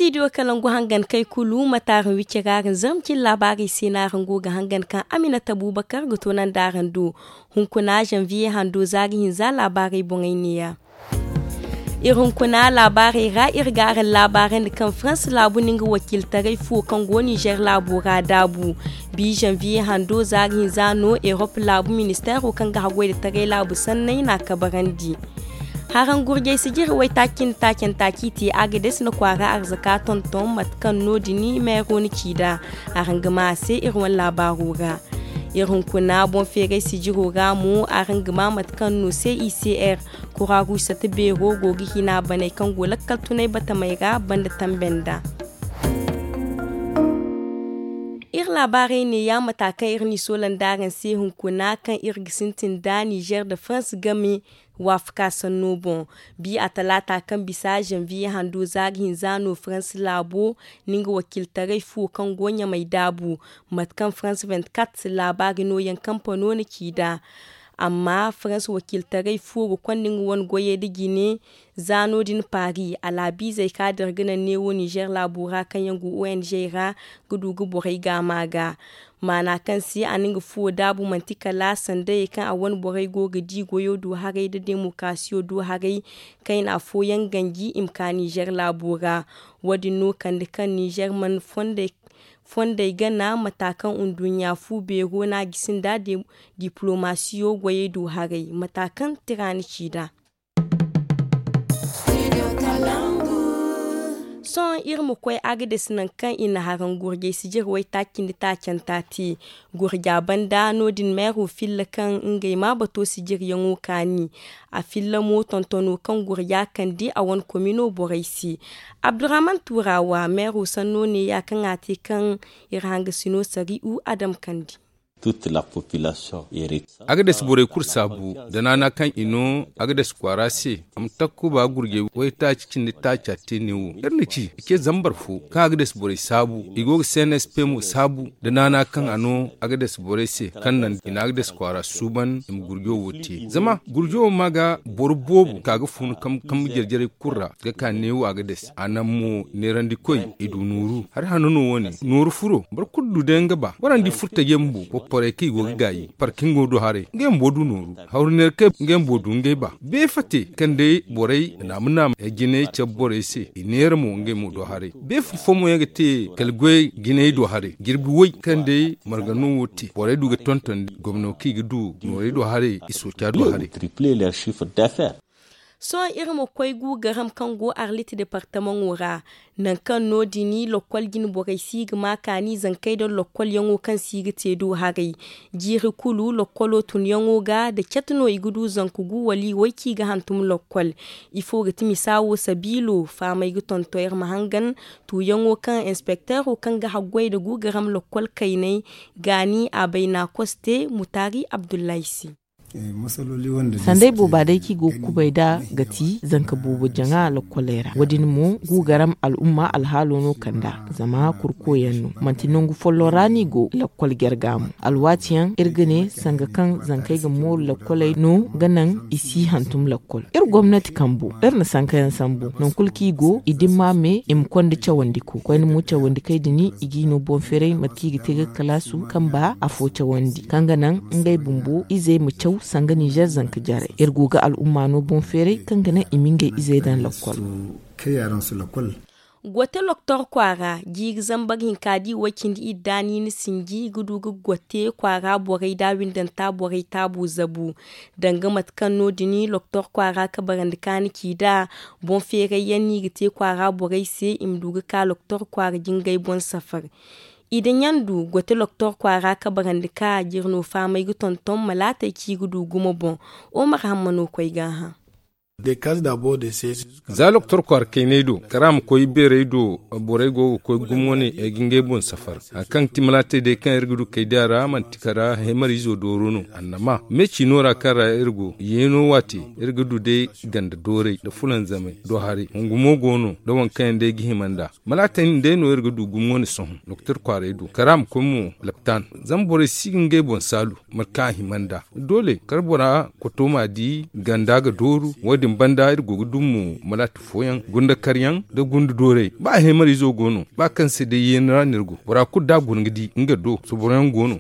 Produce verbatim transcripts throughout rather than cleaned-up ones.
Video kalangu hangan kay kulu mate araŋ wicce ga araŋ zarma cine laabaarey se no araŋ go ga hangan kaŋ aminata buubakar ga toonandi araŋ do. Hunkuna zanviye hando za ga hinza laabaarey boŋey neeya. Iri hunkuna laabaarey ra iri ga araŋ laabaarandi kaŋ farans laabu na nga wakiiltaray fuwo kaŋ go nizer laabo ra daabu. Bi zanviye hando za ga hinza no erop laabu ministeero kaŋ ga haggoy nda taray laabu sanney n'a kabarandi. Haraŋ gurjey sijiri waytaaci nda taacanta kaŋ i te agades na kwaara arzaka tonton mate kaŋ no- din meero na ci nd'a. Araŋ ga maa a se iri wane laabaaro ra. Iri hunkuna boŋ feeray sijiro ra mo araŋ ga maa mate kaŋ no cicr kura ruusate beero go ga hina baney kaŋ go lakkal tunay batamey ra banda tambe nd'a. Iri laabaarey neeya mata kaŋ iri n'i soolandi araŋ se hunkuna kaŋ iri ga sintin nda nizer nda farans game. Waafaka sanno boŋ. Bi a talaata kaŋ bisa zanviye hando za ga hinza no farans laabo na nga wakiiltaray fuwo kaŋ go ɲamay daabu. Mate kaŋ farans vingt-quatre laabaari nooyaŋ kampano na ci nd'a. Amma farans wakiiltaray fuwo ga konda nga wane goyey nda jine. Za no- din paari alaabiizey kaŋ a dira ga naŋ neewo nizer laabo ra kaŋ yaŋ go ong ra ga du ga borey gaama ga. Maana kaŋ se a na nga fuwo daabu manti kala sandayey kaŋ a wane borey go ga di goyo do haray nda demokarasiyo do haray. Kayna fooyaŋ ganji i ma ka nizer laabo ra. Wo- din no kande kaŋ nizer mana fondey gana mata kaŋ nduɲɲa fu beero no a gisi nd'a. Diplomasiyo goyey do haray mata kaŋ tira na ci nd'a. Sohõ iri ma koy agades nangu kaŋ i na haraŋ gurjay sijir waytaaci nda taacanta te. Gurja banda no- din meero filla kaŋ ngey ma bato sijiryaŋo kaani. A filla mo tontono kaŋ gurja kande a wane komino borey se. Abdurrahman turawa meero sanno neeya kaŋ a te kaŋ iri hangasino sari'u adam kande. Agades borey kulu saabu da naana kaŋ i no agades kwaara se. A ma takkuba gurjay waytaaci cindi taaca te neewo iri na ci i ce zambar fo kaŋ agades borey saabu i go ga cnsp mo saabu da naana kaŋ a no agades borey se kaŋ naŋ i na agades kwaara suuban i ma gurjo wo te zama gurjo wo ma ga boro boobo ka ga fun kambe jarjarey kulu ra ga ka neewo agades a naŋ mo neerandikoy i du nooru hari hanno no wo- ne nooru furo boro kulu du day nga ba boro na di furo taje bumbo porporey kaŋ i go ga gaayi parkingo do haray ngey bumbo du nooru hawru neera kay ngey bumbo du ngey ba beefate kaŋ day borey naama naama jinay cabe borey se i neera mo ngey mo do haray beefa fo mo yaŋ ga te kala goy jinay do haray jirbi way kaŋ day marga no wo te borey du ga tonton gomno kaŋ i ga du noorey do haray i sooca do haray. Sohõ iri ma koy guugaram kaŋ go arlit departamaŋo ra. Nangu kaŋ no- din lokkol jine borey si ga ma kaani zankey nda lokkolyaŋo kaŋ si ga te do haray. Jiiri kulu lokkolo tunyaŋo ga nda catu no i ga du zanka gu wala i way kaŋ i ga hantum lokkol. Ifo ga ti misa wo sabiilo fahamey ga tonton iri ma hangan tuuyaŋo kaŋ inspekteero kaŋ ga haggoy nda guugaram lokkol kayney gaani a bay na koste mutaari abdullahi se. Sanday booba day kaŋ i go ga kubay nd'a ga ti zanka boobo jaŋa lokkoley ra wo- din mo guugaram al'umma alhaalo no kand'a zama kurkoyaŋ no manti nangu folloŋ ra no i go lokkol jarga mo alwaati yaŋ iri ga ne sanga kaŋ zankey ga mooru lokkoley no ga naŋ i si hantum lokkol iri gomnati kambo iri na sankayaŋ sambu nangu kulu kaŋ i go i dimma me i ma konda cawandiko koyne mo cawandikey din i g'i no boŋ feeray mate kaŋ i ga te ga kalaasu kamba afo cawandi kaŋ ga naŋ ngey bumbo izey ma caw sanga nizer zanka jarey iri go ga al'umma no boŋ feeray kaŋ ga naŋ i ma ngey izey daŋ lakkol. Gote loktor kwaara jiiri zambar hinka da i way cindi idda niini sinji ga du ga gote kwaara borey da windanta borey taabu zabu. Danga mate kaŋ no- din loktor kwaara kabarandi kaani ci nd'a boŋ feeray yaŋ no i ga te kwaara borey se i ma du ga ka loktor kwaara jingay boŋ safar. I da ɲandu gote loktor kwaara kabarandi ka jirno faamay ga tonton malaatey kaŋ i ga du gumo boŋ. Omar hamma no koy g'a hã. Za loktor kwaara kayney do kara ma koy beerey do borey go ga koy gumo wane ay ga ngey boŋ safar hari kaŋ ga ti malaatey day kaŋ iri ga du kaydiya ra manti kara heemar izo dooro no annama me ciino ra kaŋ ra iri go yeeno waate iri ga du day ganda doorey nda fulanzamey do haray hungu mo go no nda waŋ kaŋ yaŋ day ga hima nd'a. Malaatey din day no iri ga du gumo wane sohõ doktor kwaaray do kala a ma koy mo laptan. Zama borey si ga ngey boŋ saalu mate kaŋ a hima nd'a doole kala bora koto m'a di ganda ga dooru wo- din. Banda iri go ga dum mo malaati fooyaŋ gunda karyaŋ nda gunda doorey ba a heemariizo go no ba kaŋ se day yeeni ra no iri go bora kulu da a guna ga di nga do soboroyaŋ go no.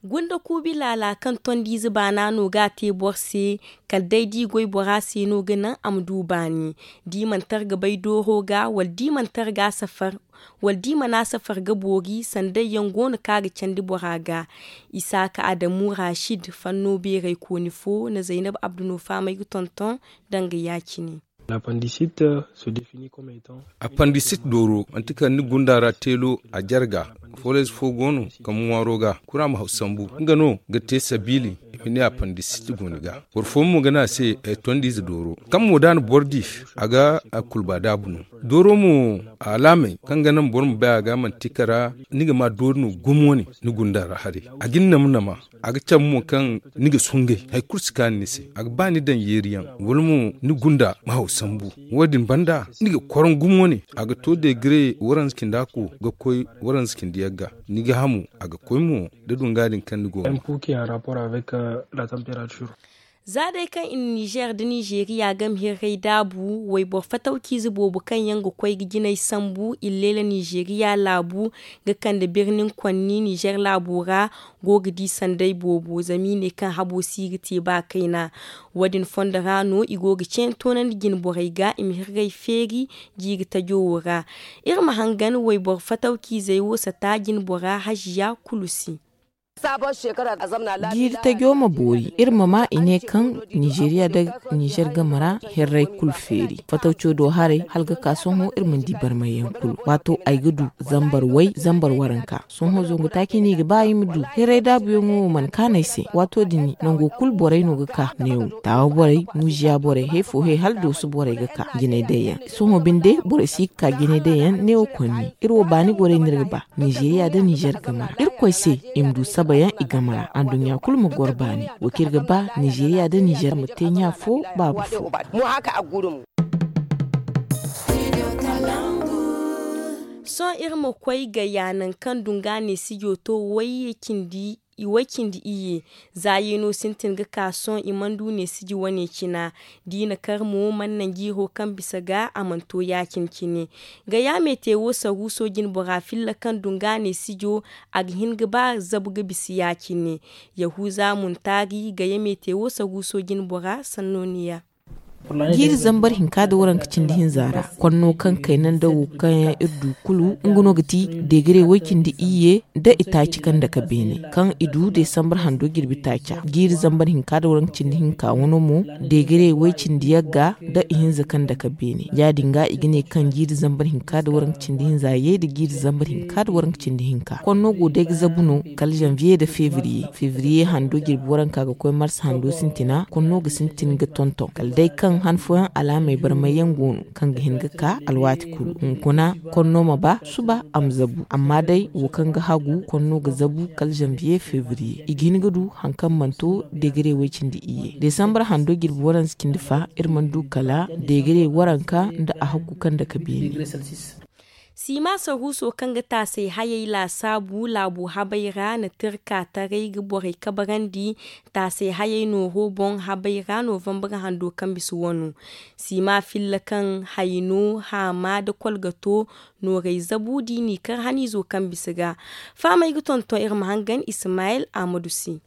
Gunda kuubi laala kaŋ tondiize baana no ga a te boro se kala day da i goy bora se no ga naŋ a ma du baani. Da i mana tara ga bay dooro ga wala da i mana tara ga a safar wala da i mana a safar ga boori sanday yaŋ go no kaŋ a ga candi bora ga. Isaaka adamu rashid fanno beeraykooni fo na zaynab abdu no fahamay ga tonton danga ya- cine. Appandisit dooro manti kala ni gunda ra teelo a jarga. Fooleyze fo go no kaŋ ŋwaaro ga kura ma haw sambu nga no ga te sabiili i ma ne appandisit go ni ga. Boro fooyaŋ mo ga ne a se tondiize dooro kaŋ mo da a na boro di a ga a kulba daabu no. Dooro mo alaamey kaŋ ga naŋ boro ma bay a ga manti kala ni ga ma doori no gumo wane ni gunda ra haray. A ga ni nama nama a ga cabe mo kaŋ ni ga sungay hari kulu si kaanu ni se. A ga ba ni daŋ yeeriyaŋ wala mo ni gunda ma haw sambu. Wo- din banda ni ga koron gumo wane a ga to deegire waranza cindi ako ga koy waranza cindi yagga. Ni ga hamu a ga koy mo da dunga din kaŋ ni go ga. Za day kaŋ i na nizer nda nizeriya game hirray daabu wayboro fatawciize boobo kaŋ yaŋ ga koy ga jinay sambu illeela nizeriya laabu ga kande birnin konni nizer laabo ra go ga di sanday boobo zama i ne kaŋ habo si ga te ba kayna. Wo- din fondo ra no i go ga ceene toonandi jinborey ga i ma hirray feeri jiiri tajo wo ra. Iri ma hangan wayboro fatawciizey wo sata jinbora haziya kulu se. Jiiri tajo ma boori iri ma ma i ne kaŋ nizeeriya nda nizer game ra hirray kulu feeri fatawco do haray hala ga ka sohõ iri mana di barmayyaŋ kulu waato ay ga du zambar way zambar waranka. Sohõ zangu taaci no i ga ba i ma du hirray daabuyaŋo wo mana kaanu ay se waato din nango kulu borey no ga ka neewo taawa borey muuziya borey hay fo hay hala dooso borey ga ka jinay day yaŋ. Sohõ binde borey si ga ka jinay day yaŋ neewo konni iri wo baani gorey no iri ga ba. Nizeeriya nda nizer game ra irkoy se i ma du sabayaŋ i game ra anduɲɲa kulu ma goro baani. Wo kaŋ iri ga ba nizeeriya nda nizer ma te ɲa fo baaba fo. Sohõ iri ma koy gayya nangu kaŋ dunga neesijo to way cindi iyye. Za yeeno sintin ga ka sohõ i mana du neesiji wane cina. Da i na kar mo mana naŋ jiiro kaŋ bisa ga a mana to ya- cine cine. Gaya meete wo saruuso jinbora filla kaŋ dunga neesijo a ga hin ga ba zabu ga bisa ya- cine. Yahuza muntaari gaya meete wo saruuso jinbora sanno ni ya. Jiiri zambar hinka nda waranka cindi hinza ra konno kaŋ kayna nda wo kaŋ yaŋ iri du kulu nga no ga ti degere way-cindi iyye nda itaaci kaŋ dake beene kaŋ i du desambar hando jirbi taaca. Jiiri zambar hinka nda waranka cindi hinka wano mo degere way-cindi yagga nda ihinza kaŋ dake beene ya- din ga i ga ne kaŋ jiiri zambar hinka nda waranka cindi hinza ye nda jiiri zambar hinka nda waranka cindi hinka konno go day ga zabu no kala zanviye nda fevriye fevriye hando jirbi waranka ga koy mars hando sintina konno ga sintin ga tonton kala day kaŋ han fooyaŋ alaamey barmayyaŋ go no kaŋ ga hin ga ka alwaati kulu hunkuna konno ma ba suba a ma zabu amma day wo kaŋ ga hagu konno ga zabu kala zanviye fevriye i ga hin ga du hari kaŋ mana to degere way-cindi iyye desambar hando jirbi waranza cindi fa iri mana du kala degere waranka nda a hakku kaŋ dake beene. Siima saruuso kaŋ ga taasay hayey laasaabu laabo habey ra na tirka taray ga borey kabarandi taasay hayey nooro boŋ habey ra novambar hando kaŋ bisa wano. Siima filla kaŋ hayno haama nda kolgato noorey zabu da i n'i kar haniizo kaŋ bisa ga. Fahamey ga tonton iri ma hangan ismayil ahmadu se.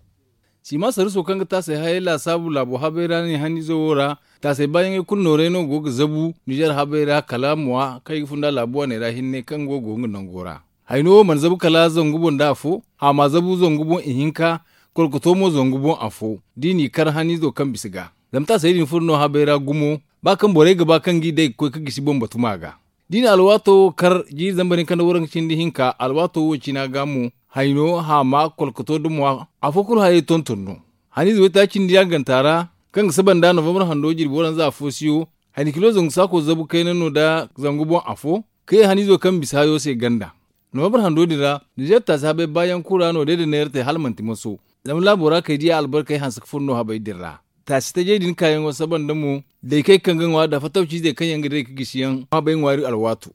Siima saruuso kaŋ ga taasay hayey laasaabu laabo habey ra ne haniizo wo ra taasay baayaŋey kulu noorey no go ga zabu nizer habey ra kala mwa kaŋ i ga funda laabu waaney ra hinne kaŋ go go nga nango ra. Hayno wo mana zabu kala zangu boŋ nda afo haama zabu zangu boŋ ihinka kolkoto mo zangu boŋ afo da i n'i kar haniizo kaŋ bisa ga. Zama taasay din furo no habey ra gumo ba kaŋ borey ga ba kaŋ g'i day ga koy ga gisi boŋ batuma ga. Da i na alwaato wo kar jiiri zambar hinka nda waranka cindi hinka alwaato wo cina ga mo hayno haama kolkoto da mwa afo kulu hayey tonton no. Haniize waytaaci cindi yaŋ ganta ra kaŋ ga saba nda novambar hando jirbi waranza afo siyo hayni kilo zangu saako zabu kayna no nda zangu boŋ afo ka ye haniizo kaŋ bisa hayo se ganda. Novambar hando din ra nizer taasi habey baayaŋ kulu ra no day da neera te hala manti maso. Zama laabo ra kay diya albarkey hanse ga furo no habey din ra. Taasi tajey din kaayaŋo saba nda mo daykey kaŋ ga ŋwa da fatawciizey kaŋ yaŋ ga day ga gisi yaŋ habey ŋwaari alwaato.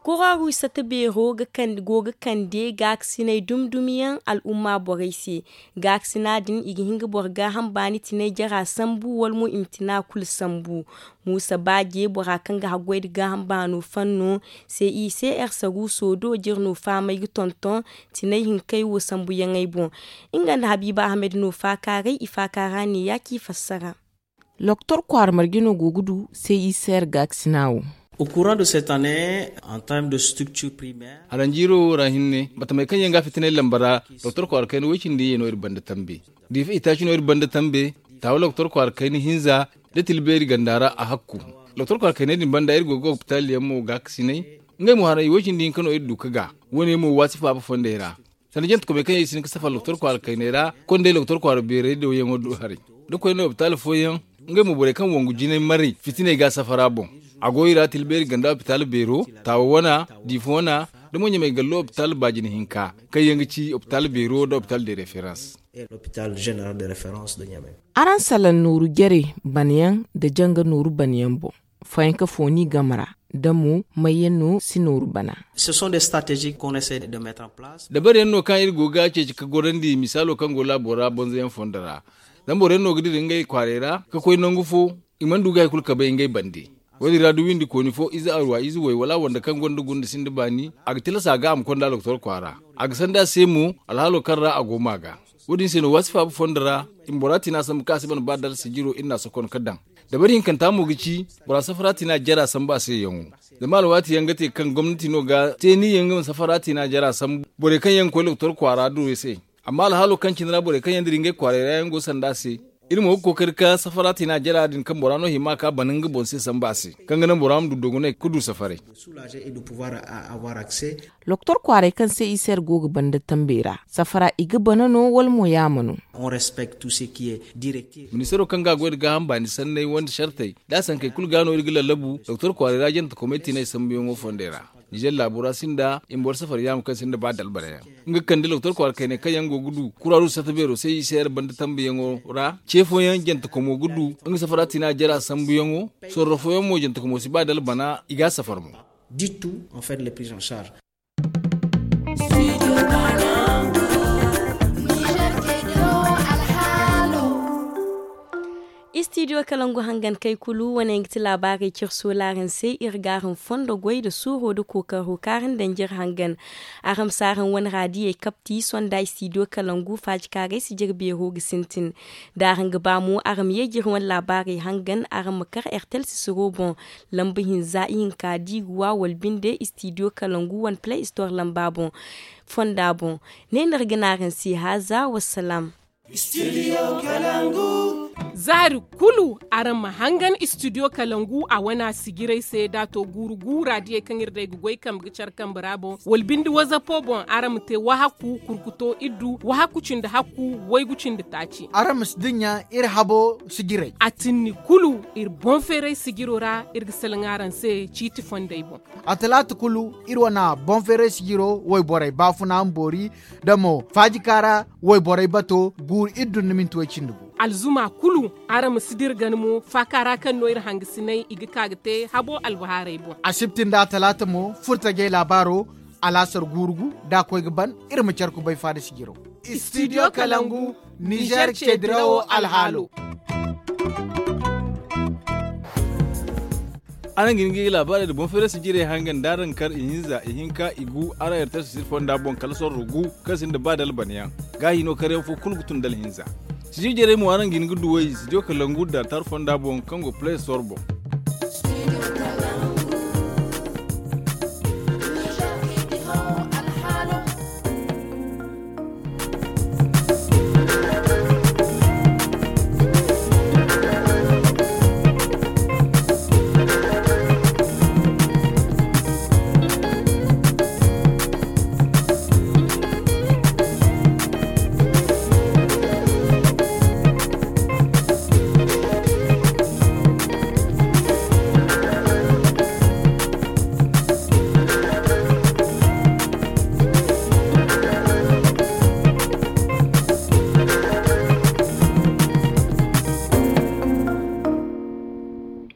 Kororu sata beero go ga kande gaakasiney dumi-dumi yaŋ al'umma borey se. Gaakasina din i ga hin ga boro gaaham baani tinay jara sambu wala mo i ma tina kulu sambu. Muusa baaje bora kaŋ ga haggoy nda gaaham baano fanno se i se ersaruuso do jire no fahamay ga tonton tinay hinkey wo sambuyaŋey boŋ. Nga nda habiiba ahamed no faakaaray i faakaara ne ya ci fassara. Doktor kwaara marje no go ga du se i se yer gaakasina wo. Au courant de cette année en terme de structure primaire. Aranjiiro wo ra hinne batamey kaŋ yaŋ ga a fitinay lamba ra. Doktor kwaara kayna woy cindi ye no iri banda tambe. Diifa itaaci no iri banda tambe. Taawa doktor kwaara kayna hinza da tilbeeri ganda ra a hakku. Doktor kwaara kayney din banda iri go ga opitaali yaŋ mo gaakasinay. Ngey mo haray woy cindi hinka no iri du ka ga. Wo- ne mo waasi faaba fondey ra. Sanda jantekomey kaŋ yaŋ i si hin ga safar doktor kwaara kayney ra konday doktor kwaara beerey do yaŋo do haray. Da koyne opitaal fooyaŋ ngey mo borey kaŋ wangu jinay maray fitiney ga a safara boŋ. A go i ra tilbeeri ganda opitaal beero, taawa wana, diifa wana, da mo ɲamay gallo opitaal baajina hinka kaŋ yaŋ ga ci opitaal beero nda opitaal de referans. Araŋ salaŋ nooru jare banayaŋ nda janga nooru banayaŋ boŋ. Fayanka fooni game ra da mo mayyaŋ no si nooru bana. Dabariyaŋ no kaŋ iri go ga a ceeci ka gorandi misaalo kaŋ go laabo ra bonzoyaŋ fondo ra. Zama boroyaŋ no ga dira ngey kwaaray ra ka koy nangu fo. I mana du ga hari kulu ka bay ngey bande. Wo- din ra da windi kooni fo ize arwa ize way wala a wanda kaŋ gonda gunda sinda baani a ga tilas a ga a ma konda doktor kwaara. A ga sanda a se mo alhaalo kaŋ ra a go ma ga. Wo- din se no waasi faaba fondo ra i ma bora tiina sambu kaŋ a si ban ba dala sijiro iri n'a sokon ka daŋ. Dabari hinkanta mo ga ci bora safara tiina jara sambu a se yaŋo. Zama alwaati yaŋ ga te kaŋ gomnati no ga te ni yaŋ ga ma safara tiina jara sambu borey kaŋ yaŋ ga koy doktor kwaara duro se. Amma alhaalo kaŋ cine ra borey kaŋ yaŋ dira ngey kwaaray ra yaŋ go sanda a se. Iri mo ga kookari ka safara tiina jara din kaŋ bora no hima ka bana nga boŋ se sambu a se kaŋ ga naŋ bora ma du dogonay ka du safaray. Doktor kwaaray kaŋ se i se yer go ga banda tambey ra safara i ga bana no wala mo yaama no? Ministaro kaŋ ga a goy nda gaaham baani sanney wande sartey da a sankey kulu ga no iri ga lallabu doktor kwaaray ra jantekomey tiinay sambuyaŋo fondey ra. Nizer laabo ra sinda i ma boro safar yaama kaŋ sinda ba dalbarayaŋ. Nga ga kande doktor kwaara kayney kaŋ yaŋ go ga du kuraru sata beero se i se yer banda tambuyaŋo ra ce fooyaŋ jantekomo ga du nga safara tiina jara sambuyaŋo. Sorro fooyaŋ mo jantekomo si ba dalbana i ga a safar mo. Istidiyo kalangu hangan kay kulu wane nga ti laabaarey cire soolaaran se iri ga araŋ fondo goy nda suuro nda kookaro kaara nda nda iri hangan. Araŋ ma si araŋ wane raadiyey kapti sonda istidiyo kalangu faajikaaray si jire beero ga sintin. Da araŋ ga ba mo araŋ ma ye ga iri wane laabaarey hangan araŋ ma kar ertel sisiro boŋ. Lamba hinza ihinka diiruwa wala binde istidiyo kalangu wane play store lamba boŋ. Fonda boŋ ne no iri ga ne araŋ se haaza wassalaam. Zaari kulu araŋ ma hangan istidiyo kalangu a wane a sijiray se da a to guuru guura diyey kaŋ iri day ga goy kambe ga care kambe ra boŋ wala binde wazapo boŋ araŋ ma te wahakku kurkuto iddu wahakku cindi hakku waygu cindi taaci. Araŋ ma si dinya iri habo sijiray a tinni kulu iri boŋ feeray sijiro ra iri ga salaŋ araŋ se ciiti fondey boŋ. A talaata kulu iri wane boŋ feeray sijiro wayborey baafuna ma boori da mo faajikaara wayborey bato guuru iddu nda minti way cindi gu. Alzuma kulu araŋ ma si dira gana mo faaka ra kaŋ no iri hangasinay i ga ka ga te habo albahaarey boŋ. Asibti nda a talaata mo furtajey laabaaro alaasar guuru gu da a koy ga ban iri ma care kubay faada sijiro. Istidiyo kalangu nizer ceedirawo alhaalo. Araŋ ga hin ga i laabaarey nda boŋ feerey sijirey hangan da araŋ kar ihinza ihinka igu araŋ ertel sisir fonda boŋ kala sorro gu kaŋ sinda ba da albanayaŋ. Gaahi no karyaŋ fo kulu ga tun da alhinza. Sijir jarey mo araŋ ga hin ga duw'ey sijir kalangu da tar fonda boŋ kaŋ go play store boŋ.